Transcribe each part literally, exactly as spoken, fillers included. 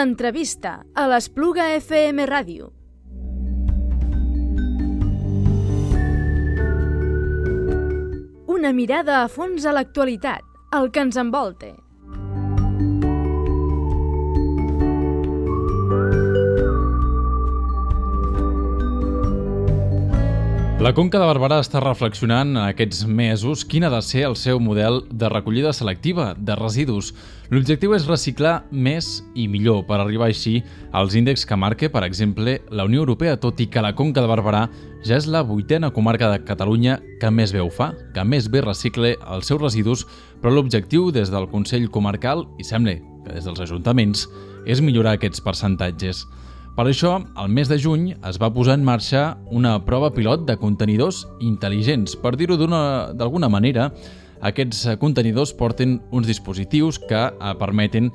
L'entrevista a l'Espluga F M Ràdio. Una mirada a fons a l'actualitat, el que ens envolta. La Conca de Barberà està reflexionant en aquests mesos quin ha de ser el seu model de recollida selectiva de residus. L'objectiu és reciclar més i millor per arribar així als índexs que marca, per exemple, la Unió Europea, tot i que la Conca de Barberà ja és la vuitena comarca de Catalunya que més bé ho fa, que més bé recicle els seus residus, però l'objectiu des del Consell Comarcal, i sembla que des dels ajuntaments, és millorar aquests percentatges. Per això, al mes de juny es va posar en marxa una prova pilot de contenidors intel·ligents. Per dir-ho d'alguna manera, aquests contenidors porten uns dispositius que permeten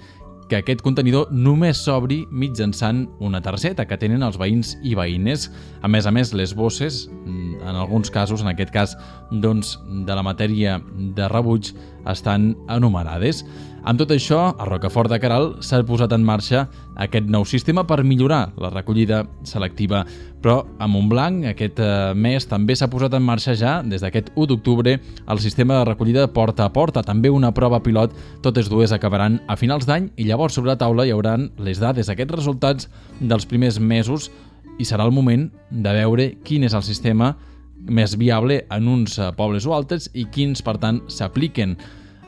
que aquest contenidor només s'obri mitjançant una targeta que tenen els veïns i veïnes. A més a més, les bosses, en alguns casos, en aquest cas doncs, de la matèria de rebuig, estan enumerades. Amb tot això, a Rocafort de Queralt s'ha posat en marxa aquest nou sistema per millorar la recollida selectiva. Però a Montblanc aquest mes també s'ha posat en marxa ja, des d'aquest u d'octubre, el sistema de recollida porta a porta, també una prova pilot. Totes dues acabaran a finals d'any i llavors sobre la taula hi hauran les dades, aquests resultats dels primers mesos, i serà el moment de veure quin és el sistema més viable en uns pobles o altres i quins, per tant, s'apliquen.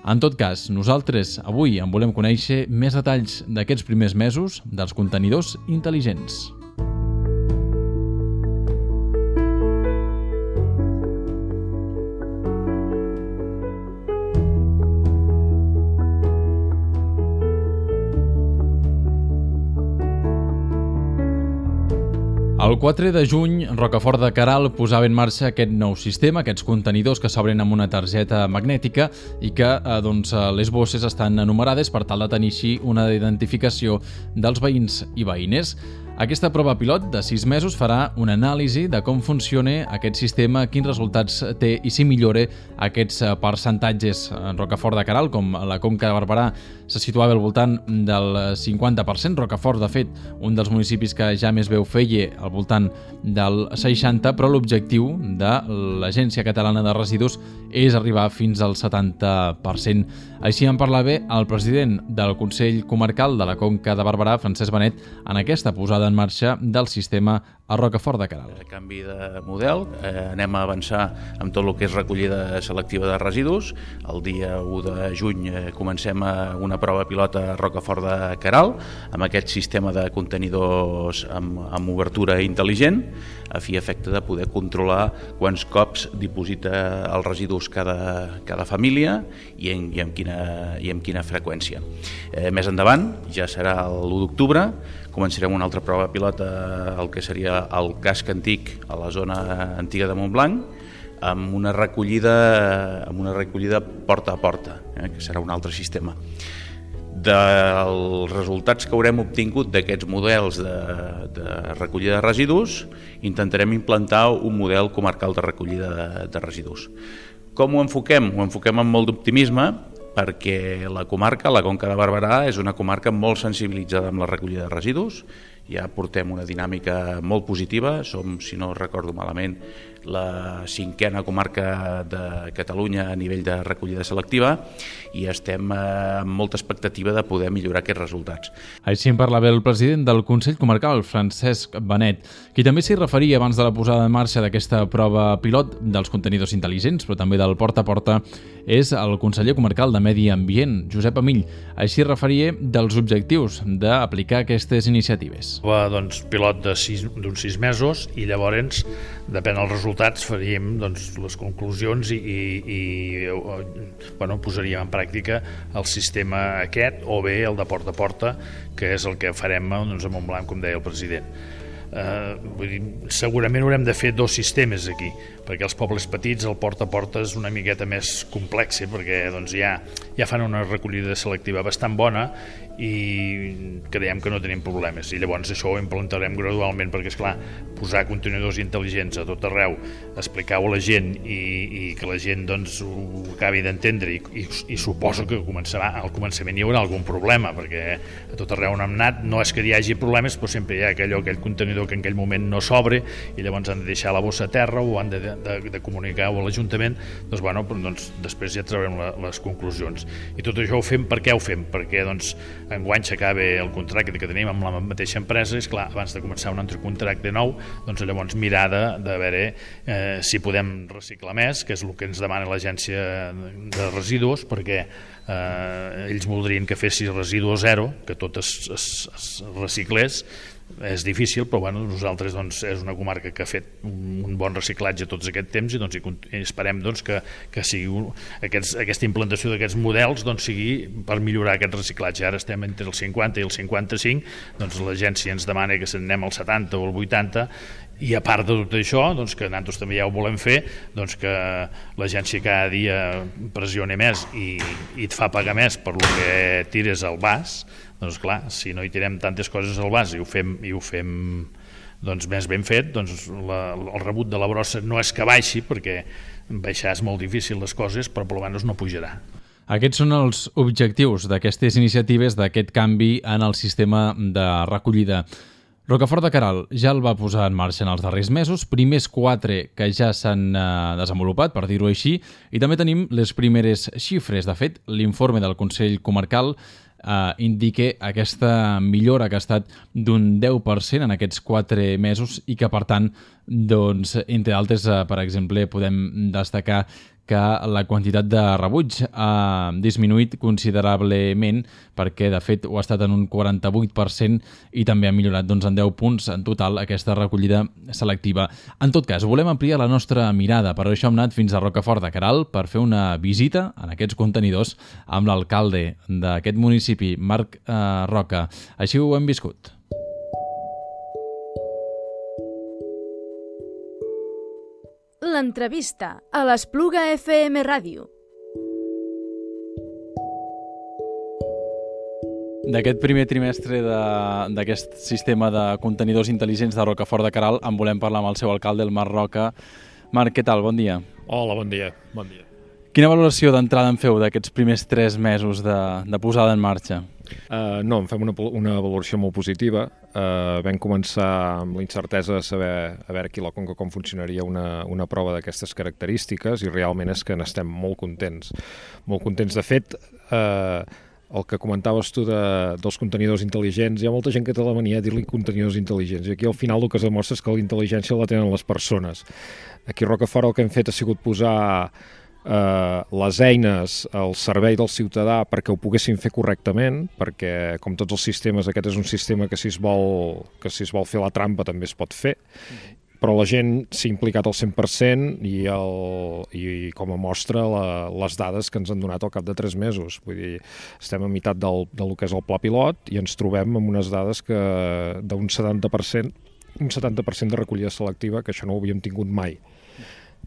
En tot cas, nosaltres avui en volem conèixer més detalls d'aquests primers mesos dels contenidors intel·ligents. El quatre de juny, Rocafort de Queralt posava en marxa aquest nou sistema, aquests contenidors que s'obren amb una targeta magnètica i que eh, doncs, les bosses estan enumerades per tal de tenir així una identificació dels veïns i veïnes. Aquesta prova pilot de sis mesos farà una anàlisi de com funciona aquest sistema, quins resultats té i si millora aquests percentatges. En Rocafort de Queralt, com la Conca de Barberà, se situava al voltant del cinquanta per cent. Rocafort, de fet, un dels municipis que ja més bé ho feia, al voltant del seixanta per cent, però l'objectiu de l'Agència Catalana de Residus és arribar fins al setanta per cent. Així en parlava el president del Consell Comarcal de la Conca de Barberà, Francesc Benet, en aquesta posada en marxa del sistema a Rocafort de Queralt. A canvi de model, eh, anem a avançar amb tot el que és recollida selectiva de residus. El dia u de juny eh, comencem a una prova pilot a Rocafort de Queralt amb aquest sistema de contenidors amb, amb obertura intel·ligent, a fi efecte de poder controlar quants cops diposita els residus cada, cada família i, en, i, amb quina, i amb quina freqüència. Eh, més endavant, ja serà l'u d'octubre, començarem una altra prova pilot al que seria el casc antic a la zona antiga de Montblanc, amb una recollida, amb una recollida porta a porta, eh, que serà un altre sistema. Dels resultats que haurem obtingut d'aquests models de, de recollida de residus, intentarem implantar un model comarcal de recollida de, de residus. Com ho enfoquem? Ho enfoquem amb molt d'optimisme, perquè la comarca, la Conca de Barberà, és una comarca molt sensibilitzada amb la recollida de residus. Ja portem una dinàmica molt positiva, som, si no recordo malament, la cinquena comarca de Catalunya a nivell de recollida selectiva i estem amb molta expectativa de poder millorar aquests resultats. Així en parlava el president del Consell Comarcal, Francesc Benet, qui també s'hi referia abans de la posada en marxa d'aquesta prova pilot dels contenidors intel·ligents, però també del porta a porta, és el conseller comarcal de Medi Ambient, Josep Amill. Així referia dels objectius d'aplicar aquestes iniciatives. Va, doncs, pilot d'uns sis, sis mesos i llavors, depèn dels resultats, faríem doncs, les conclusions i, i, i bueno, posaríem en pràctica el sistema aquest o bé el de porta a porta, que és el que farem doncs, a Montblanc, com deia el president. eh, vull dir, segurament haurem de fer dos sistemes aquí, perquè els pobles petits el porta a porta és una miqueta més complex, perquè doncs, ja, ja fan una recollida selectiva bastant bona i creiem que no tenim problemes, i llavors això ho implantarem gradualment, perquè esclar, posar contenidors intel·ligents a tot arreu, explicar-ho a la gent i, i que la gent doncs, ho acabi d'entendre, i, i, i suposo que començarà, al començament hi haurà algun problema, perquè a tot arreu on hem anat no és que hi hagi problemes, però sempre hi ha aquell, aquell contenidor que en aquell moment no s'obre i llavors han de deixar la bossa a terra o han de, de, de comunicar-ho a l'Ajuntament. Doncs, bueno, doncs després ja traurem la, les conclusions. I tot això ho fem, per què ho fem? Perquè doncs, enguany s'acaba el contracte que tenim amb la mateixa empresa, és clar, abans de començar un altre contracte nou, doncs llavors mirar de, de veure eh, si podem reciclar més, que és el que ens demana l'Agència de Residus, perquè eh, ells voldrien que fessi residu zero, que tot es, es, es reciclés. És difícil, però bueno, nosaltres doncs, és una comarca que ha fet un bon reciclatge tots aquest temps i, doncs, i esperem doncs, que, que sigui un, aquests, aquesta implantació d'aquests models doncs, sigui per millorar aquest reciclatge. Ara estem entre el cinquanta i el cinquanta-cinc, doncs l'agència ens demana que anem al setanta o al vuitanta, i a part de tot això, doncs, que nosaltres també ja ho volem fer, doncs, que l'agència cada dia pressioni més i, i et fa pagar més per el que tires al vas. Doncs clar, si no hi tirem tantes coses al vas i ho fem, i ho fem doncs, més ben fet, doncs la, el rebut de la brossa no és que baixi, perquè baixar és molt difícil les coses, però per almenys no pujarà. Aquests són els objectius d'aquestes iniciatives, d'aquest canvi en el sistema de recollida. Rocafort de Queralt ja el va posar en marxa en els darrers mesos, primers quatre que ja s'han eh, desenvolupat, per dir-ho així, i també tenim les primeres xifres. De fet, l'informe del Consell Comarcal Uh, indique aquesta millora que ha estat d'un deu per cent en aquests quatre mesos i que, per tant, doncs, entre altres, uh, per exemple, podem destacar que la quantitat de rebuig ha disminuït considerablement perquè, de fet, ho ha estat en un quaranta-vuit per cent i també ha millorat doncs, en deu punts en total aquesta recollida selectiva. En tot cas, volem ampliar la nostra mirada. Per això hem anat fins a Rocafort de Queralt per fer una visita en aquests contenidors amb l'alcalde d'aquest municipi, Marc eh, Roca. Així ho hem viscut. L'entrevista a l'Espluga F M Ràdio. D'aquest primer trimestre d'aquest sistema de contenidors intel·ligents de Rocafort de Queralt en volem parlar amb el seu alcalde, el Marc Roca. Marc, què tal? Bon dia. Hola, bon dia. Bon dia. Quina valoració d'entrada en feu d'aquests primers tres mesos de, de posada en marxa? Uh, no, en fem una, una valoració molt positiva. Uh, vam començar amb la incertesa de saber a veure aquí a la Conca com funcionaria una, una prova d'aquestes característiques i realment és que n'estem molt contents. Molt contents. De fet, uh, el que comentaves tu de, dels contenidors intel·ligents, hi ha molta gent que té la mania de dir-li contenidors intel·ligents i aquí al final el que es demostra és que la intel·ligència la tenen les persones. Aquí a Rocafort el que hem fet ha sigut posar Uh, les eines al servei del ciutadà perquè ho poguessin fer correctament, perquè com tots els sistemes aquest és un sistema que si es vol, que si es vol fer la trampa també es pot fer, però la gent s'ha implicat al cent per cent i, el, i com a mostra la, les dades que ens han donat al cap de tres mesos. Vull dir, estem a meitat del, del que és el pla pilot i ens trobem amb unes dades que d'un setanta per cent, un setanta per cent de recollida selectiva, que això no ho havíem tingut mai.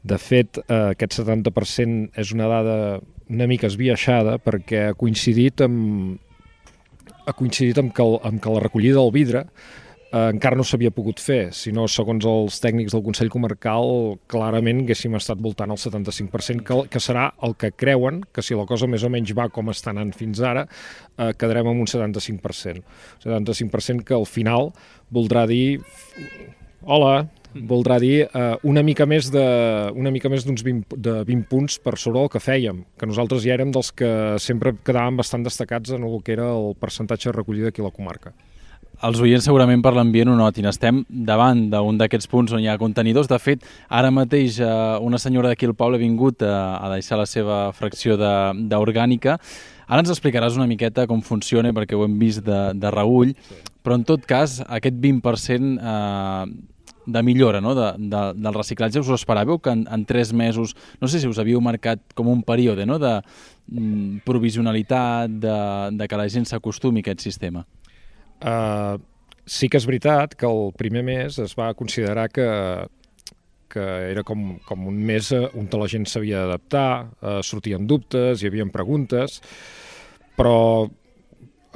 De fet, eh, aquest setanta per cent és una dada una mica esbiaixada perquè ha coincidit amb, ha coincidit amb, que, el, amb que la recollida del vidre eh, encara no s'havia pogut fer, sinó segons els tècnics del Consell Comarcal clarament haguéssim estat voltant al setanta-cinc per cent, que, que serà el que creuen que si la cosa més o menys va com està anant fins ara, eh, quedarem amb un setanta-cinc per cent. setanta-cinc per cent que al final voldrà dir... Hola! Voldrà dir eh, una mica més de una mica més d'uns vint, de vint punts per sobre el que fèiem, que nosaltres ja érem dels que sempre quedàvem bastant destacats en el que era el percentatge de recollida aquí a la comarca. Els oients segurament per l'ambient ho notin. Estem davant d'un d'aquests punts on hi ha contenidors. De fet, ara mateix eh, una senyora d'aquí al poble ha vingut a, a deixar la seva fracció d'orgànica. Ara ens explicaràs una miqueta com funciona, perquè ho hem vist de, de reüll, però en tot cas aquest vint per cent eh, de millora, no? de, de, del reciclatge, us ho esperàveu que en, en tres mesos, no sé si us havíeu marcat com un període, no? de mm, provisionalitat, de, de que la gent s'acostumi a aquest sistema? Uh, sí que és veritat que el primer mes es va considerar que, que era com, com un mes on la gent s'havia d'adaptar, eh, sortien dubtes, hi havia preguntes, però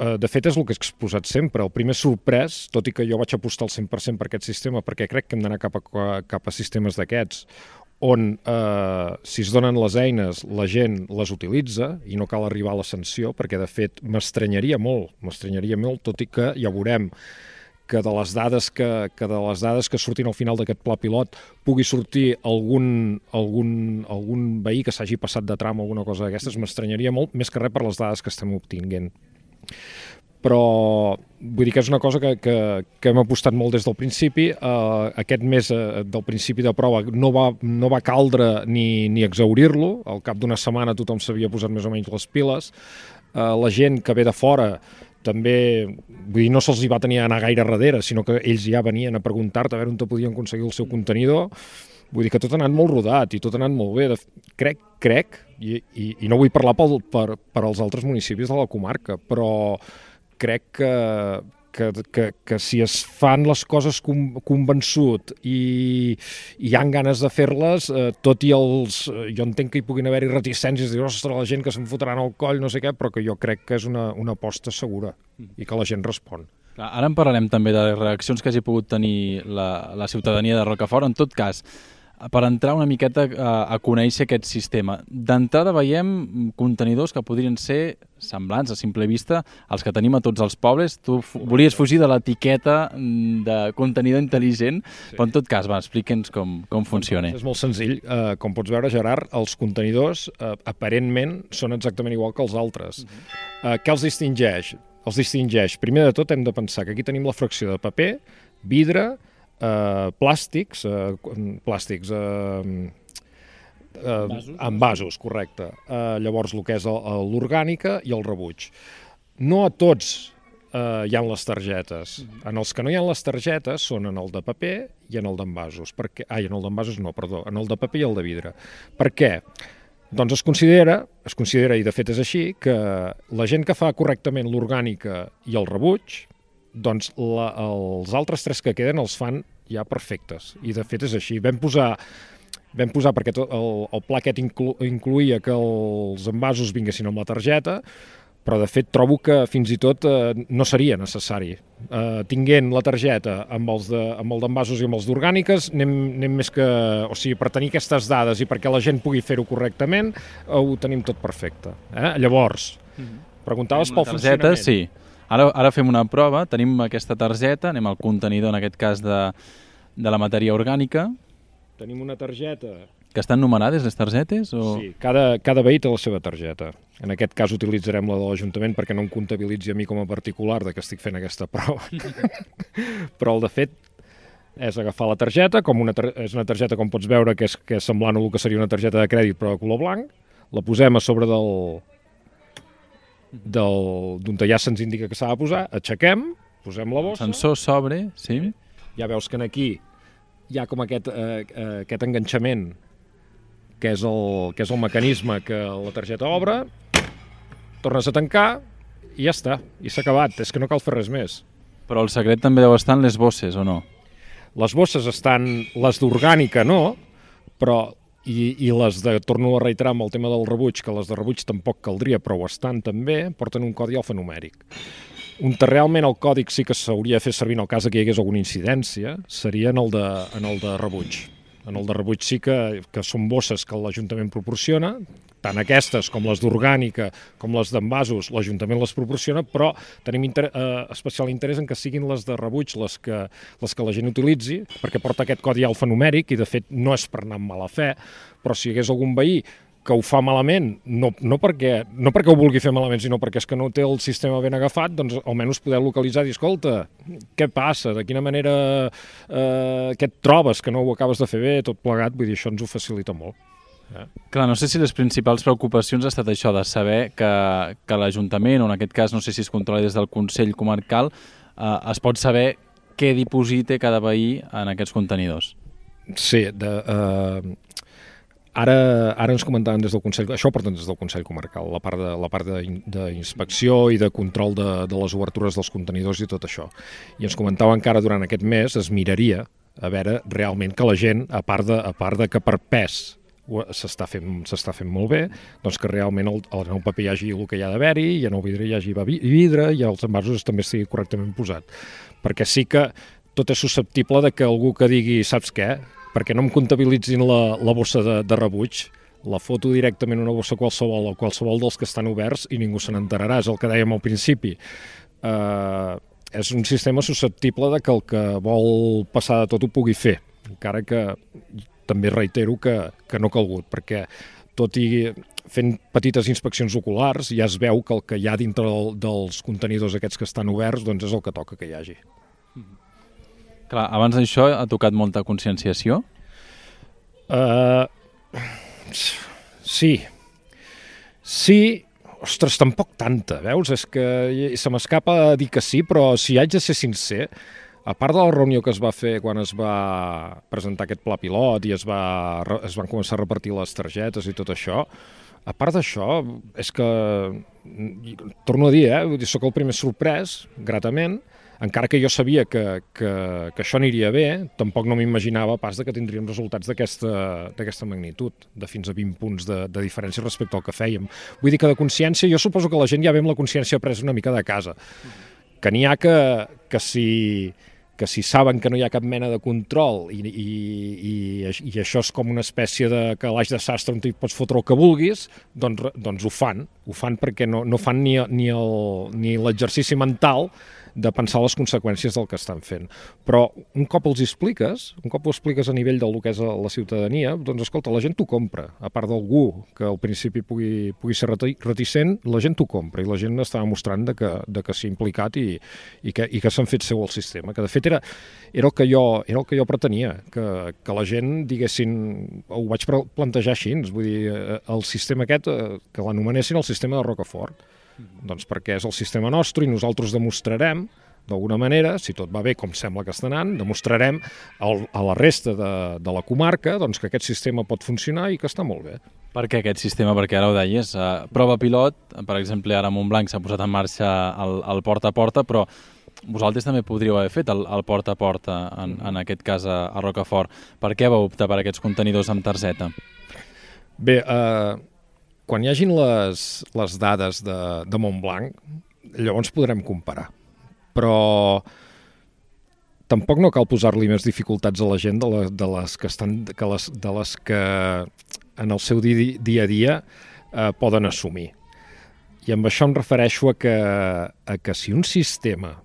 eh, de fet és el que he exposat sempre. El primer sorprès, tot i que jo vaig apostar al cent per cent per aquest sistema, perquè crec que hem d'anar cap a, cap a sistemes d'aquests, on eh, si es donen les eines la gent les utilitza i no cal arribar a la sanció, perquè de fet m'estranyaria molt, m'estranyaria molt, tot i que ja veurem que de les dades que, que, de les dades que surtin al final d'aquest pla pilot pugui sortir algun, algun, algun veí que s'hagi passat de tram o alguna cosa d'aquestes, m'estranyaria molt, més que res per les dades que estem obtinguent. Però vull dir que és una cosa que, que, que hem apostat molt des del principi. Uh, aquest mes uh, del principi de prova no va, no va caldre ni, ni exaurir-lo. Al cap d'una setmana tothom s'havia posat més o menys les piles. Uh, la gent que ve de fora també, vull dir, no se'ls hi va tenir a anar gaire darrere, sinó que ells ja venien a preguntar-te a veure on te podien aconseguir el seu contenidor. Vull dir que tot ha anat molt rodat i tot ha anat molt bé. De, crec, crec, i, i, i no vull parlar pel, per, per als altres municipis de la comarca, però crec que, que, que, que si es fan les coses convençut i, i hi ha ganes de fer-les, eh, tot i els... Jo entenc que hi puguin haver-hi reticències, dir, ostres, la gent que se'n fotran al coll, no sé què, però que jo crec que és una, una aposta segura i que la gent respon. Ara en parlarem també de les reaccions que hagi pogut tenir la, la ciutadania de Rocafort. En tot cas, per entrar una miqueta a, a conèixer aquest sistema, d'entrada veiem contenidors que podrien ser semblants a simple vista als que tenim a tots els pobles. Tu volies fugir de l'etiqueta de contenidor intel·ligent, sí. Però en tot cas, va, explica'ns com, com funciona. És molt senzill. Uh, com pots veure, Gerard, els contenidors uh, aparentment són exactament igual que els altres. Uh-huh. uh, què els distingeix? Els distingeix, primer de tot hem de pensar que aquí tenim la fracció de paper, vidre, Uh, plàstics, uh, plàstics uh, uh, envasos, correcte. Uh, llavors el que és l'orgànica i el rebuig. No a tots uh, hi ha les targetes. En els que no hi ha les targetes són en el de paper i en el d'envasos. Perquè... Ai, en el d'envasos no, perdó, en el de paper i el de vidre. Per què? Doncs es considera, es considera, i de fet és així, que la gent que fa correctament l'orgànica i el rebuig, doncs la, els altres tres que queden els fan ja perfectes. I de fet és així. Vam posar, vam posar perquè tot el, el pla aquest inclu, incluïa que els envasos vinguessin amb la targeta, però de fet trobo que fins i tot eh, no seria necessari. Eh, tinguent la targeta amb els de, amb el d'envasos i amb els d'orgàniques, anem, anem més que... O sigui, per tenir aquestes dades i perquè la gent pugui fer-ho correctament, eh, ho tenim tot perfecte. Eh? Llavors, preguntaves pel targeta, funcionament. Sí. Ara, ara fem una prova, tenim aquesta targeta, anem al contenidor, en aquest cas, de, de la matèria orgànica. Tenim una targeta. Que estan numerades, les targetes? O... Sí, cada, cada veí té la seva targeta. En aquest cas utilitzarem la de l'Ajuntament perquè no em comptabilitzi a mi com a particular de que estic fent aquesta prova. Però el de fet és agafar la targeta, com una tar és una targeta, com pots veure, que és, que és semblant a el que seria una targeta de crèdit però de color blanc, la posem a sobre del... d'on ja se'ns indica que s'ha de posar, aixequem, posem la bossa... El sensor s'obre, sí. Ja veus que aquí hi ha com aquest, eh, aquest enganxament, que és, el, que és el mecanisme que la targeta obre, tornes a tancar i ja està, i s'ha acabat, és que no cal fer res més. Però el secret també deu estar en les bosses, o no? Les bosses estan, les d'orgànica no, però... I, i les de, torno a reiterar amb el tema del rebuig, que les de rebuig tampoc caldria, però ho estan també, porten un codi alfanumèric. On realment el còdic sí que s'hauria de fer servir en el cas que hi hagués alguna incidència, seria en el de, en el de rebuig. En el de rebuig sí que, que són bosses que l'Ajuntament proporciona, tant aquestes com les d'orgànica com les d'envasos, l'Ajuntament les proporciona, però tenim inter eh, especial interès en que siguin les de rebuig les que, les que la gent utilitzi, perquè porta aquest codi alfanumèric i de fet no és per anar amb mala fe, però si hi hagués algun veí que ho fa malament, no, no, perquè, no perquè ho vulgui fer malament, sinó perquè és que no té el sistema ben agafat, doncs almenys poder localitzar i dir, escolta, què passa, de quina manera eh, què et trobes, que no ho acabes de fer bé, tot plegat, vull dir, això ens ho facilita molt. Eh? Clar, no sé si les principals preocupacions ha estat això, de saber que, que l'Ajuntament, o en aquest cas no sé si es controla des del Consell Comarcal, eh, es pot saber què diposita cada veí en aquests contenidors. Sí, de... Eh... Ara, ara ens comentaven des del Consell, això ho porten des del Consell Comarcal, la part de, la part d'inspecció i de control de, de les obertures dels contenidors i tot això. I ens comentaven que ara durant aquest mes es miraria a veure realment que la gent, a part de, a part de que per pes s'està fent, s'està fent molt bé, doncs que realment el, el nou paper hi hagi el que hi ha d'haver-hi, i en el vidre hi hagi vidre, i els envasos també estigui correctament posat. Perquè sí que tot és susceptible de que algú que digui, saps què? Perquè no em comptabilitzin la, la bossa de, de rebuig, la foto directament una bossa qualsevol o qualsevol dels que estan oberts i ningú se n'enterarà, és el que dèiem al principi. Eh, és un sistema susceptible de que el que vol passar de tot ho pugui fer, encara que també reitero que, que no ha calgut, perquè tot i fent petites inspeccions oculars ja es veu que el que hi ha dintre del, dels contenidors aquests que estan oberts doncs és el que toca que hi hagi. Clar, abans d'això ha tocat molta conscienciació? Uh, sí. Sí, ostres, tampoc tanta, veus? És que se m'escapa dir que sí, però si haig de ser sincer, a part de la reunió que es va fer quan es va presentar aquest pla pilot i es, va, es van començar a repartir les targetes i tot això, a part d'això, és que, torno a dir, eh, soc el primer sorprès, gratament, encara que jo sabia que, que, que això aniria bé, tampoc no m'imaginava pas de que tindríem resultats d'aquesta magnitud, de fins a vint punts de, de diferència respecte al que fèiem. Vull dir que de consciència, jo suposo que la gent ja ve amb la consciència presa una mica de casa, que n'hi ha que, que si... que si saben que no hi ha cap mena de control i, i, i, i això és com una espècie de calaix de sastre on t'hi pots fotre el que vulguis, doncs, doncs ho fan. Ho fan perquè no, no fan ni, ni, el, ni l'exercici mental de pensar les conseqüències del que estan fent. Però un cop els expliques, un cop ho expliques a nivell del que és la ciutadania, doncs escolta, la gent t'ho compra. A part d'algú que al principi pugui, pugui ser reticent, la gent t'ho compra i la gent està demostrant de que, de que s'ha implicat i, i que, i que s'han fet seu el sistema. Que de fet era, era, el, que jo, era el que jo pretenia, que, que la gent diguessin, ho vaig plantejar així, vull dir, el sistema aquest, que l'anomenessin el sistema de Rocafort. Doncs perquè és el sistema nostre i nosaltres demostrarem, d'alguna manera, si tot va bé com sembla que està anant, demostrarem al, a la resta de, de la comarca doncs, que aquest sistema pot funcionar i que està molt bé. Per què aquest sistema? Perquè ara ho deies, uh, prova pilot, per exemple, ara a Montblanc s'ha posat en marxa el, el porta a porta, però vosaltres també podríeu haver fet el, el porta a porta, en, en aquest cas a, a Rocafort. Per què vau optar per aquests contenidors amb targeta? Bé, eh... quan hi hagin les, les dades de, de Montblanc, llavors podrem comparar. Però tampoc no cal posar-li més dificultats a la gent de, la, de, les, que estan, que les, de les que en el seu dia, dia a dia eh, poden assumir. I amb això em refereixo a que, a que si un sistema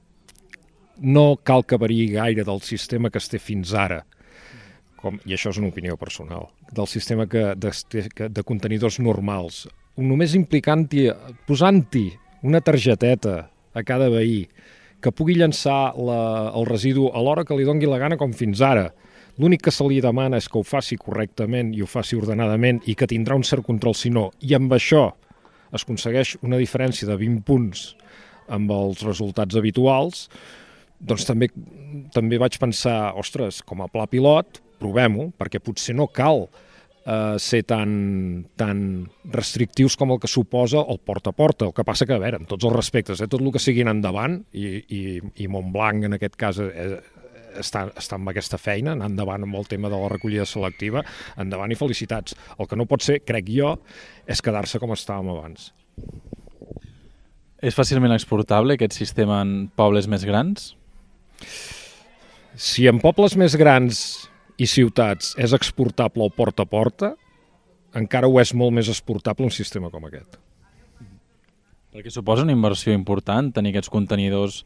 no cal que variï gaire del sistema que es té fins ara, com, i això és una opinió personal, del sistema que, de, de contenidors normals, només implicant-hi, posant-hi una targeteta a cada veí que pugui llançar la, el residu a l'hora que li dongui la gana com fins ara. L'únic que se li demana és que ho faci correctament i ho faci ordenadament i que tindrà un cert control si no, i amb això es aconsegueix una diferència de vint punts amb els resultats habituals, doncs també, també vaig pensar, ostres, com a pla pilot, provem-ho, perquè potser no cal eh, ser tan, tan restrictius com el que suposa el porta a porta. El que passa que, a veure, amb tots els respectes, eh, tot el que sigui endavant, i, i, i Montblanc en aquest cas eh, està, està amb aquesta feina, anar endavant amb el tema de la recollida selectiva, endavant i felicitats. El que no pot ser, crec jo, és quedar-se com estàvem abans. És fàcilment exportable aquest sistema en pobles més grans? Si en pobles més grans i ciutats és exportable el porta a porta, encara ho és molt més exportable un sistema com aquest. Perquè suposa una inversió important tenir aquests contenidors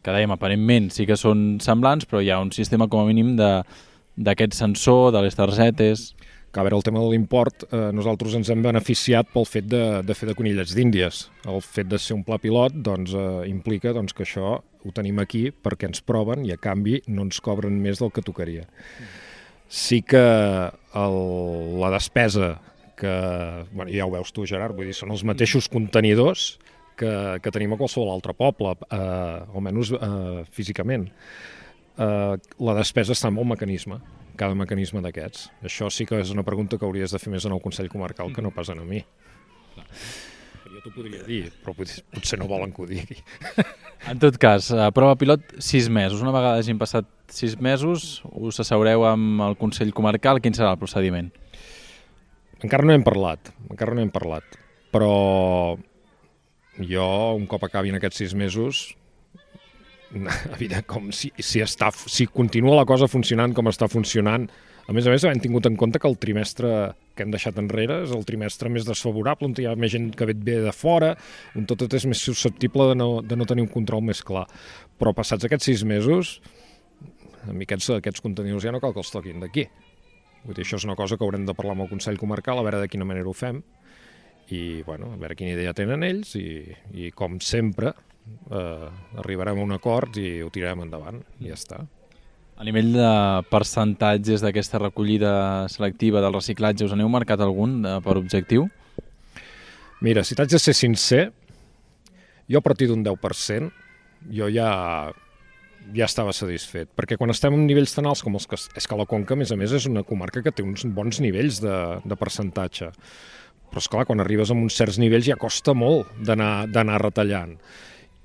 que dèiem, aparentment sí que són semblants, però hi ha un sistema com a mínim d'aquest sensor, de les targetes... Que a veure, el tema de l'import, eh, nosaltres ens hem beneficiat pel fet de, de fer de conillets d'Índies. El fet de ser un pla pilot doncs, eh, implica doncs, que això ho tenim aquí perquè ens proven i a canvi no ens cobren més del que tocaria. Sí que el, la despesa que, bueno, ja ho veus tu, Gerard, vull dir, són els mateixos contenidors que, que tenim a qualsevol altre poble, eh, almenys eh, físicament. Eh, la despesa està en el mecanisme, cada mecanisme d'aquests. Això sí que és una pregunta que hauries de fer més en el Consell Comarcal que no pas en a mi. Jo t'ho podria dir, però potser no volen que ho digui. En tot cas, prova pilot, sis mesos. Una vegada hagin passat sis mesos, us asseureu amb el Consell Comarcal. Quin serà el procediment? Encara no hem parlat, encara no hem parlat. Però jo, un cop acabin aquests sis mesos, evident, com si, si, està, si continua la cosa funcionant com està funcionant, a més a més, hem tingut en compte que el trimestre que hem deixat enrere és el trimestre més desfavorable, on hi ha més gent que ve de fora, on tot és més susceptible de no, de no tenir un control més clar. Però passats aquests sis mesos, a mi aquests, aquests contenidors ja no cal que els toquin d'aquí. Vull dir, això és una cosa que haurem de parlar amb el Consell Comarcal, a veure de quina manera ho fem, i bueno, a veure quina idea tenen ells, i, i com sempre, eh, arribarem a un acord i ho tirarem endavant, i ja està. A nivell de percentatges d'aquesta recollida selectiva del reciclatge, us n'heu marcat algun per objectiu? Mira, si t'haig de ser sincer, jo a partir d'un deu per cent jo ja, ja estava satisfet, perquè quan estem en nivells tan alts com els que... És que la Conca, a més a més, és una comarca que té uns bons nivells de, de percentatge, però esclar, quan arribes a uns certs nivells ja costa molt d'anar retallant.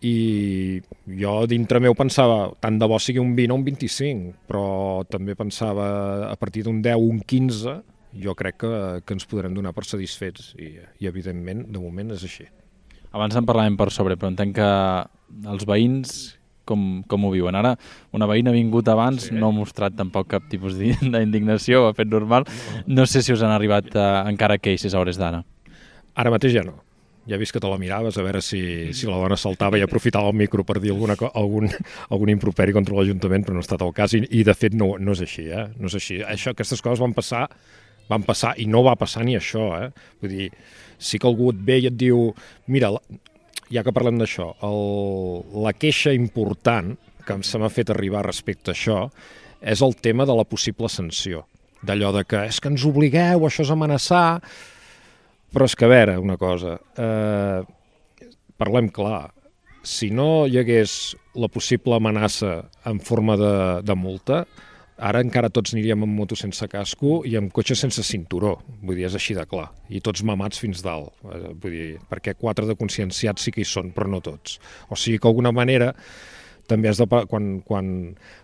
I jo dintre meu pensava, tant de bo sigui un vint o un vint-i-cinc, però també pensava a partir d'un deu o un quinze, jo crec que, que ens podrem donar per satisfets i, i evidentment, de moment és així. Abans en parlàvem per sobre, però entenc que els veïns com, com ho viuen. Ara, una veïna ha vingut abans, sí. No ha mostrat tampoc cap tipus d'indignació, ho ha fet normal. No sé si us han arribat eh, encara queixes a hores d'ara. Ara mateix ja no. Ja he vist que te la miraves a veure si, si la dona saltava i aprofitava el micro per dir alguna, algun, algun improperi contra l'Ajuntament, però no ha estat el cas i, i de fet no, no és així. Eh? No és així. Això, aquestes coses van passar, van passar i no va passar ni això. Eh? Vull dir, sí que algú et ve i et diu, mira, ja que parlem d'això, la queixa important que se m'ha fet arribar respecte a això és el tema de la possible sanció. D'allò de que és que ens obligueu, això és amenaçar... Però és que, a veure, una cosa, eh, parlem clar, si no hi hagués la possible amenaça en forma de, de multa, ara encara tots aniríem amb moto sense casco i amb cotxe sense cinturó, vull dir, és així de clar, i tots mamats fins dalt, eh, vull dir, perquè quatre de conscienciats sí que hi són, però no tots. O sigui que d'alguna manera també has de, quan, quan,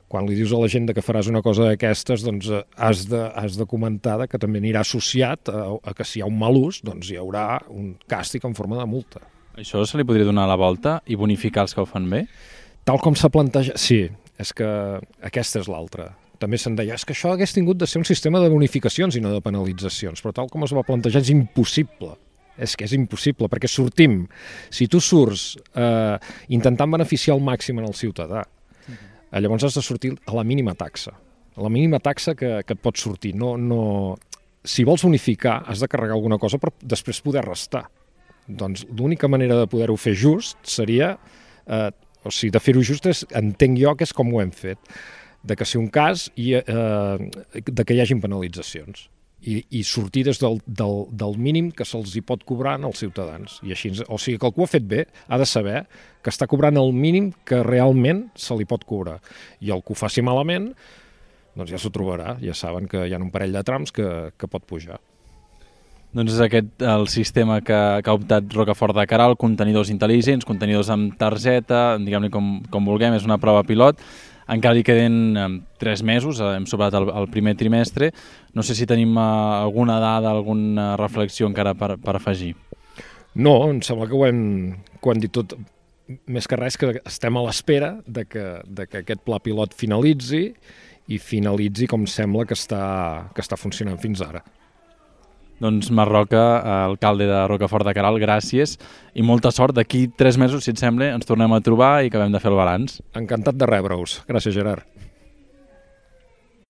quan li dius a la gent que faràs una cosa d'aquestes, doncs has de, has de comentar que també anirà associat a, a que si hi ha un mal ús, doncs hi haurà un càstig en forma de multa. Això se li podria donar la volta i bonificar els que ho fan bé? Tal com s'ha plantejat, sí, és que aquesta és l'altra. També se'n deia, és que això hagués tingut de ser un sistema de bonificacions i no de penalitzacions, però tal com es va plantejar és impossible. És que és impossible, perquè sortim, si tu surts eh, intentant beneficiar al màxim en el ciutadà, uh-huh. llavors has de sortir a la mínima taxa, a la mínima taxa que, que et pot sortir. No, no... Si vols bonificar, has de carregar alguna cosa per després poder restar. Doncs l'única manera de poder-ho fer just seria, eh, o sigui, de fer-ho just és, entenc jo que és com ho hem fet, de que sigui un cas i eh, de que hi hagin penalitzacions. I, i sortir des del, del, del mínim que se'ls hi pot cobrar als ciutadans. I així, o sigui que el que ho ha fet bé ha de saber que està cobrant el mínim que realment se li pot cobrar. I el que ho faci malament, doncs ja s'ho trobarà. Ja saben que hi ha un parell de trams que, que pot pujar. Doncs és aquest el sistema que, que ha optat Rocafort de Queralt, contenidors intel·ligents, contenidors amb targeta, diguem-ne com, com vulguem, és una prova pilot. Encara hi queden eh, tres mesos, eh, hem sobrat el, el primer trimestre. No sé si tenim eh, alguna dada, alguna reflexió encara per, per afegir. No, em sembla que ho hem, que ho hem dit tot. Més que res que estem a l'espera de que, de que aquest pla pilot finalitzi i finalitzi com sembla que està, que està funcionant fins ara. Doncs Marc Roca, alcalde de Rocafort de Queralt, gràcies i molta sort. D'aquí tres mesos, si et sembla, ens tornem a trobar i acabem de fer el balanç. Encantat de rebre-us. Gràcies, Gerard.